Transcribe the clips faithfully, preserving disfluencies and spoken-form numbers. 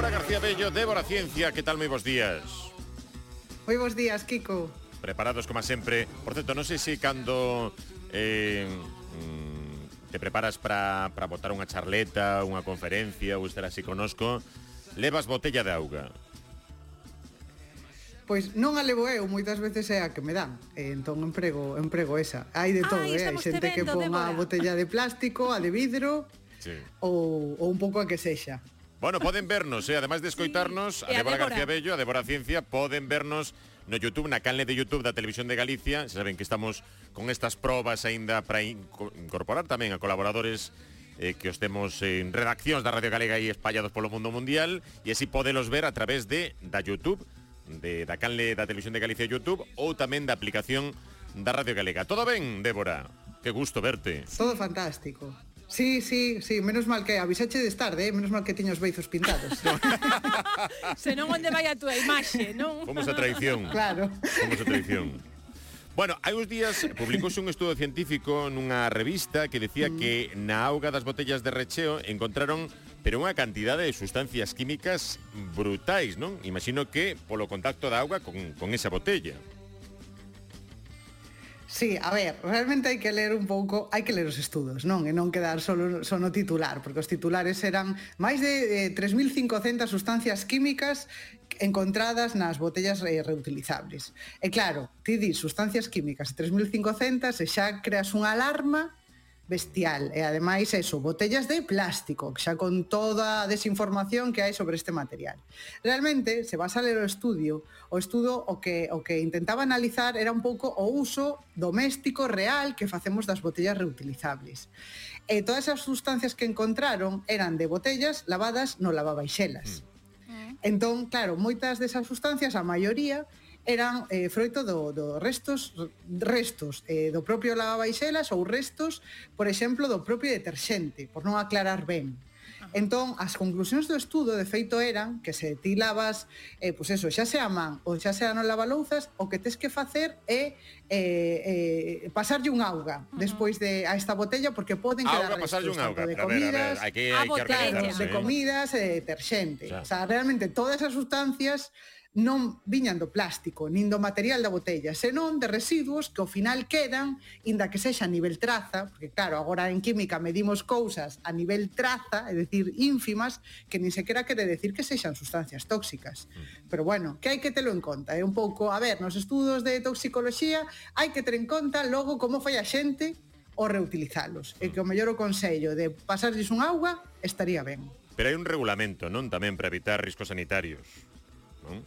Débora García Bello, Débora Ciencia, que tal, moi bons días? Moi bons días, Kiko. Preparados como sempre. Por certo, non sei se cando eh, te preparas para para botar unha charleta, unha conferencia ou estar así conosco, levas botella de auga. Pois non a levo eu, moitas veces é a que me dan. E entón emprego, emprego esa. Hai de todo, Ai, eh? Hai estamos xente te que vendo, pon a Débora. botella de plástico, a de vidro, Sí. ou, ou un pouco a que sexa. Bueno, poden vernos, eh? Ademais de escoitarnos, Sí. a E a Débora Débora. García Bello, a Débora Ciencia, poden vernos no YouTube, na canle de YouTube da Televisión de Galicia. Se saben que estamos con estas probas aínda para incorporar tamén a colaboradores eh, que os temos en redaccións da Radio Galega e espallados polo mundo mundial, e así podelos ver a través de da YouTube, de da canle da Televisión de Galicia YouTube, ou tamén da aplicación da Radio Galega. Todo ben, Débora? Que gusto verte. Todo fantástico. Sí, sí, sí, menos mal que avisache de tarde, eh? Menos mal que tiña os beizos pintados. Senón onde vai a túa imaxe, non? Fomos a traición. Claro. Fomos a traición. Bueno, hai uns días publicouse un estudo científico nunha revista que decía mm. que na auga das botellas de recheo encontraron pero unha cantidade de sustancias químicas brutais, non? Imagino que polo contacto da auga con, con esa botella. Sí, a ver, realmente hai que ler un pouco, hai que ler os estudos, non? E non quedar solo, só no titular, porque os titulares eran máis de eh, tres mil cincocentas sustancias químicas encontradas nas botellas re reutilizables. E claro, ti dis sustancias químicas de tres mil cincocentas e xa creas unha alarma bestial. E ademais eso, botellas de plástico, xa con toda a desinformación que hai sobre este material. Realmente, se vas a ler o estudio, o estudo o que o que intentaba analizar era un pouco o uso doméstico real que facemos das botellas reutilizables. E todas as sustancias que encontraron eran de botellas lavadas no lavavaixelas. Mm. Entón, claro, moitas desas sustancias, a maioría, eran eh, froito do, do restos restos eh, do propio lavavaixelas ou restos, por exemplo, do propio deterxente, por non aclarar ben. Entón, as conclusións do estudo, de feito, eran que se ti lavas, eh, pues eso, xa sea a man ou xa sea no lavalouzas, o que tes que facer é eh, eh, pasarlle un auga uh -huh. despois de a esta botella, porque poden quedar auga, pasarlle un auga. de a comidas, ver, a ver, hai que, a hai que botella. de comidas e de deterxente. Xa. O sea, realmente todas as sustancias non viñan do plástico, nin do material da botella, senón de residuos que ao final quedan, inda que sexa a nivel traza, porque claro, agora en química medimos cousas a nivel traza, é dicir, ínfimas, que nin sequera quere decir que sexan sustancias tóxicas. Pero bueno, que hai que telo en conta, é un pouco, a ver, nos estudos de toxicoloxía hai que ter en conta logo como fai a xente o reutilizalos, e que o mellor o consello de pasarlles un auga estaría ben. Pero hai un regulamento, non? Tamén para evitar riscos sanitarios, non?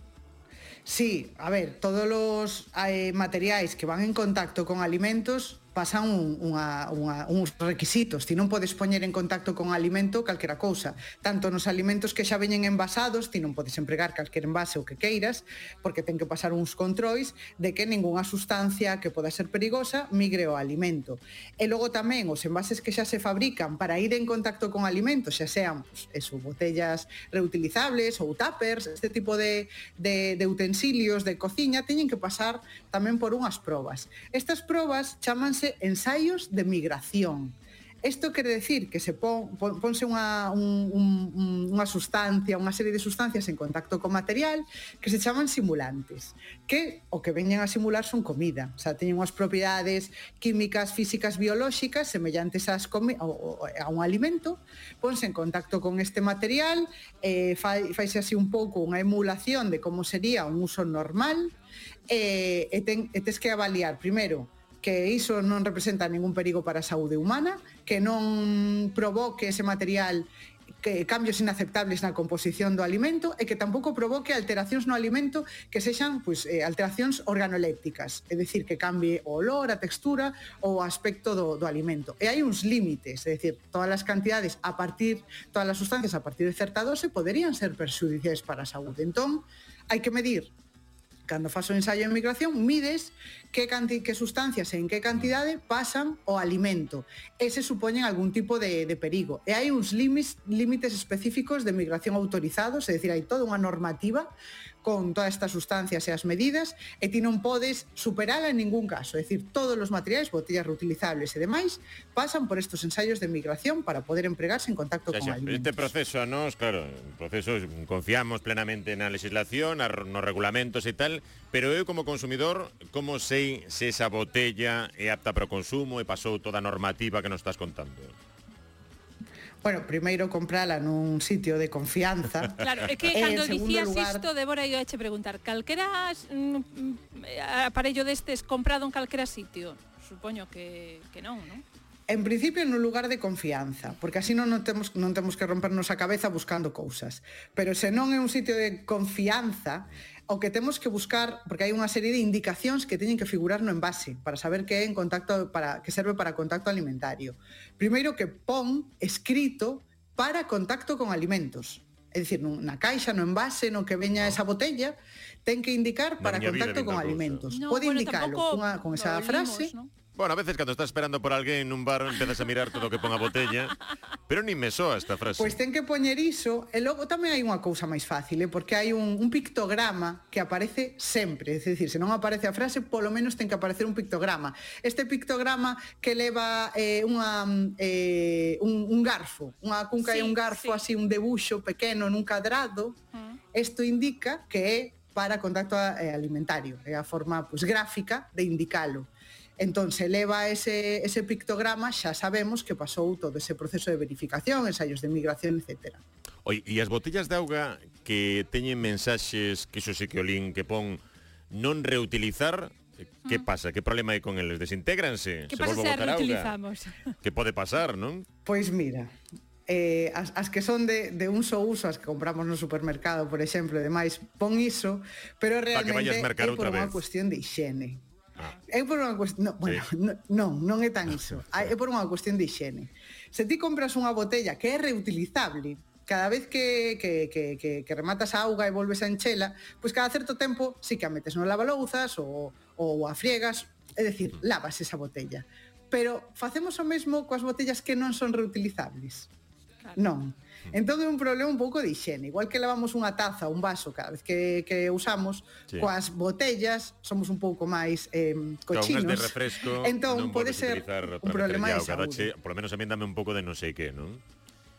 Sí, a ver, todos os eh, materiais que van en contacto con alimentos pasan un, unha, unha, uns requisitos. Ti non podes poñer en contacto con alimento calquera cousa. Tanto nos alimentos que xa veñen envasados, ti non podes empregar calquer envase o que queiras, porque ten que pasar uns controis de que ningunha sustancia que poda ser perigosa migre ao alimento. E logo tamén os envases que xa se fabrican para ir en contacto con alimentos, xa sean pues, eso, botellas reutilizables ou tuppers, este tipo de, de, de utensilios de cociña, teñen que pasar tamén por unhas probas. Estas probas chamanse ensaios de migración. Isto quere decir que se pon, pon, ponse unha, un, un, unha sustancia, unha serie de sustancias en contacto co material que se chaman simulantes, que o que veñen a simular son comida, o sea, teñen unhas propiedades químicas, físicas, biolóxicas semellantes ás comi- a un alimento, ponse en contacto con este material, eh, fai, faise así un pouco unha emulación de como sería un uso normal, eh, e, ten, e tes que avaliar, primeiro, que iso non representa ningún perigo para a saúde humana, que non provoque ese material que cambios inaceptables na composición do alimento e que tampouco provoque alteracións no alimento que sexan pues, eh, alteracións organolépticas, é dicir, que cambie o olor, a textura ou o aspecto do, do alimento. E hai uns límites, é dicir, todas as cantidades a partir, todas as sustancias a partir de certa dose poderían ser perxudiciais para a saúde. Entón, hai que medir. Cando faz o ensaio de migración, mides que, canti, que sustancias e en que cantidade pasan o alimento. Ese supoñen algún tipo de, de perigo. E hai uns límites, límites específicos de migración autorizados, é dicir, hai toda unha normativa con todas estas sustancias e as medidas e ti non podes superala en ningún caso. É dicir, todos os materiais, botellas reutilizables e demais, pasan por estos ensaios de migración para poder empregarse en contacto xa, con xa, alimentos. Este proceso a nos, claro, un proceso, confiamos plenamente na legislación, nos regulamentos e tal, pero eu como consumidor, como sei se esa botella é apta para o consumo e pasou toda a normativa que nos estás contando? Bueno, primeiro comprala nun sitio de confianza. Claro, é que cando dicías lugar... isto, Débora, eu che preguntar, calquera mm, aparello destes comprado en calquera sitio? Supoño que, que non, non? En principio, nun lugar de confianza, porque así non, non, temos, non temos que rompernos a cabeza buscando cousas. Pero se non é un sitio de confianza, o que temos que buscar, porque hai unha serie de indicacións que teñen que figurar no envase para saber que é en contacto para que serve para contacto alimentario. Primeiro que pon escrito para contacto con alimentos. É dicir, na caixa, no envase, no que veña esa botella, ten que indicar para contacto con alimentos. No, Pode bueno, indicalo cunha, con esa frase. ¿no? Bueno, a veces cando estás esperando por alguén nun bar empezas a mirar todo o que pon a botella, pero nin me soa esta frase. Pois ten que poñer iso, e logo tamén hai unha cousa máis fácil, eh, porque hai un, un pictograma que aparece sempre, é dicir, se non aparece a frase, polo menos ten que aparecer un pictograma. Este pictograma que leva eh, unha, eh, un, un garfo, unha cunca sí, e un garfo, sí. Así un debuxo pequeno nun cadrado, isto uh. indica que é para contacto alimentario, é a forma pues, gráfica de indicalo. Entón, se leva ese, ese pictograma, xa sabemos que pasou todo ese proceso de verificación, ensaios de migración, etcétera. Oi, e as botellas de auga que teñen mensaxes, que iso sí que o lin, que pon non reutilizar, que mm. pasa? Que problema hai con eles? Desintégranse? Que pasa se a reutilizamos? Que pode pasar, non? Pois mira, eh, as, as que son de, de un só uso, as que compramos no supermercado, por exemplo, e demais, pon iso, pero realmente é por unha cuestión de higiene. Ah. É por unha cuestión, no, bueno, sí. non, non é tan iso. É por unha cuestión de higiene. Se ti compras unha botella que é reutilizable, cada vez que, que, que, que, que rematas a auga e volves a enchela, pois cada certo tempo sí que a metes no lavalouzas ou, ou a friegas, é dicir, lavas esa botella. Pero facemos o mesmo coas botellas que non son reutilizables? Claro. Non. Entón é un problema un pouco de higiene. Igual que lavamos unha taza ou un vaso cada vez que, que usamos, sí. Coas botellas somos un pouco máis eh, cochinos. Claro, de refresco entón pode ser un problema de saúde. Por lo menos a mí dame un pouco de non sei que, non?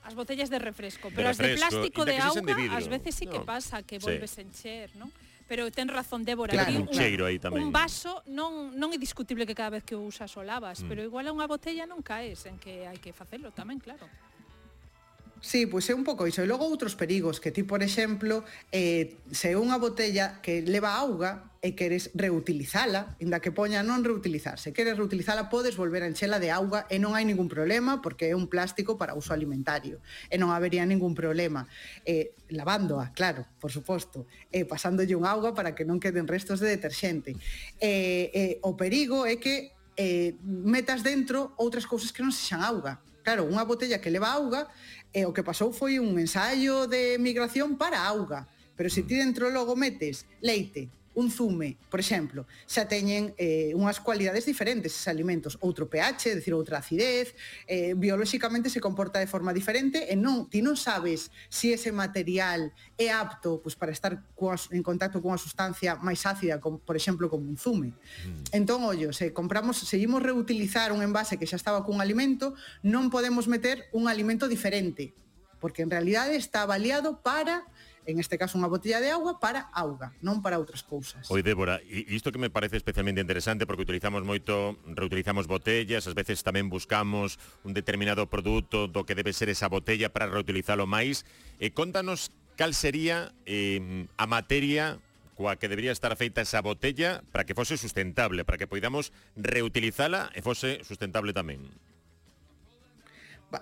As botellas de refresco, pero de refresco, as de plástico de auga, de ás veces sí que no. Pasa que volves sí. A encher, non? Pero ten razón, Débora, claro, un, un cheiro aí tamén. Un vaso non non é discutible que cada vez que o usas o lavas, mm. Pero igual a unha botella non caes en que hai que facelo tamén, claro. Sí, pois é un pouco iso. E logo outros perigos, que ti, por exemplo, eh, se é unha botella que leva auga e queres reutilizala, inda que poña non reutilizar. Se queres reutilizala, podes volver a enchela de auga e non hai ningún problema, porque é un plástico para uso alimentario. E non habería ningún problema. Eh, lavándoa, claro, por suposto. E pasándolle un auga para que non queden restos de deterxente. Eh, eh, o perigo é que eh, metas dentro outras cousas que non sexan auga. Claro, unha botella que leva auga, e o que pasou foi un ensaio de migración para auga. Pero se ti dentro logo metes leite, un zume, por exemplo, xa teñen eh, unhas cualidades diferentes esos alimentos, outro pH, é dicir, outra acidez, eh, biolóxicamente se comporta de forma diferente e non, ti non sabes se si ese material é apto pues, para estar coas, en contacto con unha sustancia máis ácida, como, por exemplo, como un zume. Mm. Entón, ollo, se compramos, seguimos reutilizar un envase que xa estaba cun alimento, non podemos meter un alimento diferente, porque en realidade está avaliado para... en este caso unha botella de auga para auga, non para outras cousas. Oi, Débora, e isto que me parece especialmente interesante porque utilizamos moito, reutilizamos botellas, ás veces tamén buscamos un determinado produto do que debe ser esa botella para reutilizalo máis. E contanos cal sería eh, a materia coa que debería estar feita esa botella para que fose sustentable, para que poidamos reutilizala e fose sustentable tamén.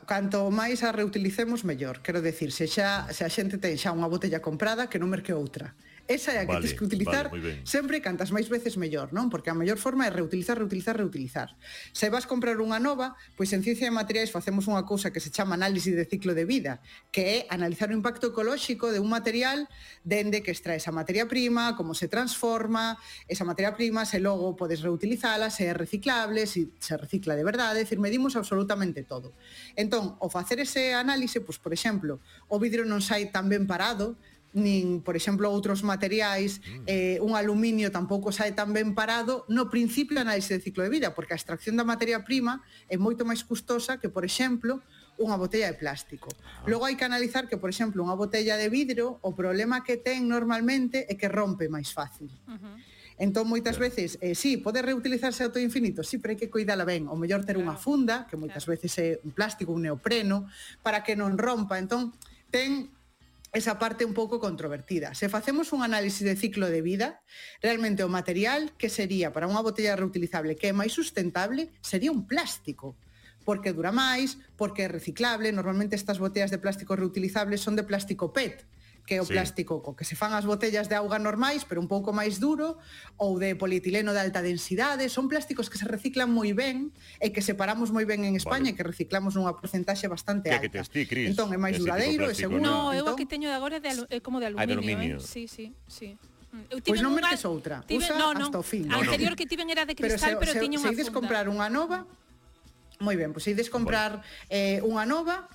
Canto máis a reutilicemos, mellor. Quero decir, se xa se a xente ten xa unha botella comprada, que non merque outra. Esa é a que vale, tens que utilizar vale, sempre, cantas máis veces mellor, non? Porque a mellor forma é reutilizar, reutilizar, reutilizar. Se vas comprar unha nova, pois en Ciencia de Materiais facemos unha cousa que se chama análise de ciclo de vida, que é analizar o impacto ecolóxico de un material dende que extrae esa materia prima, como se transforma esa materia prima, se logo podes reutilizala, se é reciclable, se se recicla de verdade, é dicir, medimos absolutamente todo. Entón, ao facer ese análise, pois, por exemplo, o vidro non sai tan ben parado, nin, por exemplo, outros materiais, eh, un aluminio tampouco sae tan ben parado no principio da análise de ciclo de vida, porque a extracción da materia prima é moito máis custosa que, por exemplo, unha botella de plástico. Ah. Logo hai que analizar que, por exemplo, unha botella de vidro, o problema que ten normalmente é que rompe máis fácil. Uh-huh. Entón, moitas claro. veces, eh, sí, pode reutilizarse ao todo infinito, sí, pero hai que cuidala ben. O mellor ter claro. unha funda, que moitas claro. veces é un plástico, un neopreno, para que non rompa. Entón, ten esa parte un pouco controvertida. Se facemos un análisis de ciclo de vida, realmente o material que sería para unha botella reutilizable que é máis sustentable sería un plástico, porque dura máis, porque é reciclable. Normalmente estas botellas de plástico reutilizables son de plástico P E T, que é o sí. plástico co que se fan as botellas de auga normais, pero un pouco máis duro, ou de polietileno de alta densidade. Son plásticos que se reciclan moi ben e que separamos moi ben en España vale. e que reciclamos nunha porcentaxe bastante alta. Que tes ti, Cris? Entón é máis duradeiro e seguro. No, eu entón... aquí teño de agora de alu é como de aluminio, ah, de aluminio. Eh? Sí, sí, sí. Pois non merques outra, tiven, usa no, no. hasta o fin. A anterior que tiven era de cristal, pero, se, pero tiña unha funda. Se ides comprar unha nova, moi ben, pois se ides comprar eh, unha nova,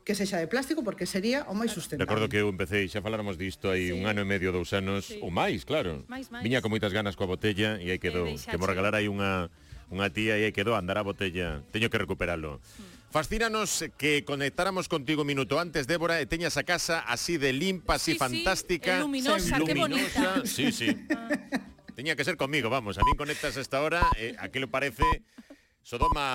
que sexa de plástico, porque sería o máis sustentable. Recordo que eu empecé, xa faláramos disto aí sí. un ano e medio, dous anos, sí. ou máis, claro. Mais, mais. Viña con moitas ganas coa botella e aí quedou, que mo regalar aí unha unha tía e aí quedou andar a botella. Teño que recuperalo. Mm. Fascínanos que conectáramos contigo un minuto antes, Débora, e teñas a casa así de limpa, así sí, fantástica, sí, luminosa, luminosa, que bonita. Sí, sí. Ah. Teña que ser conmigo, vamos, a min conectas a esta hora, eh, aquilo parece Sodoma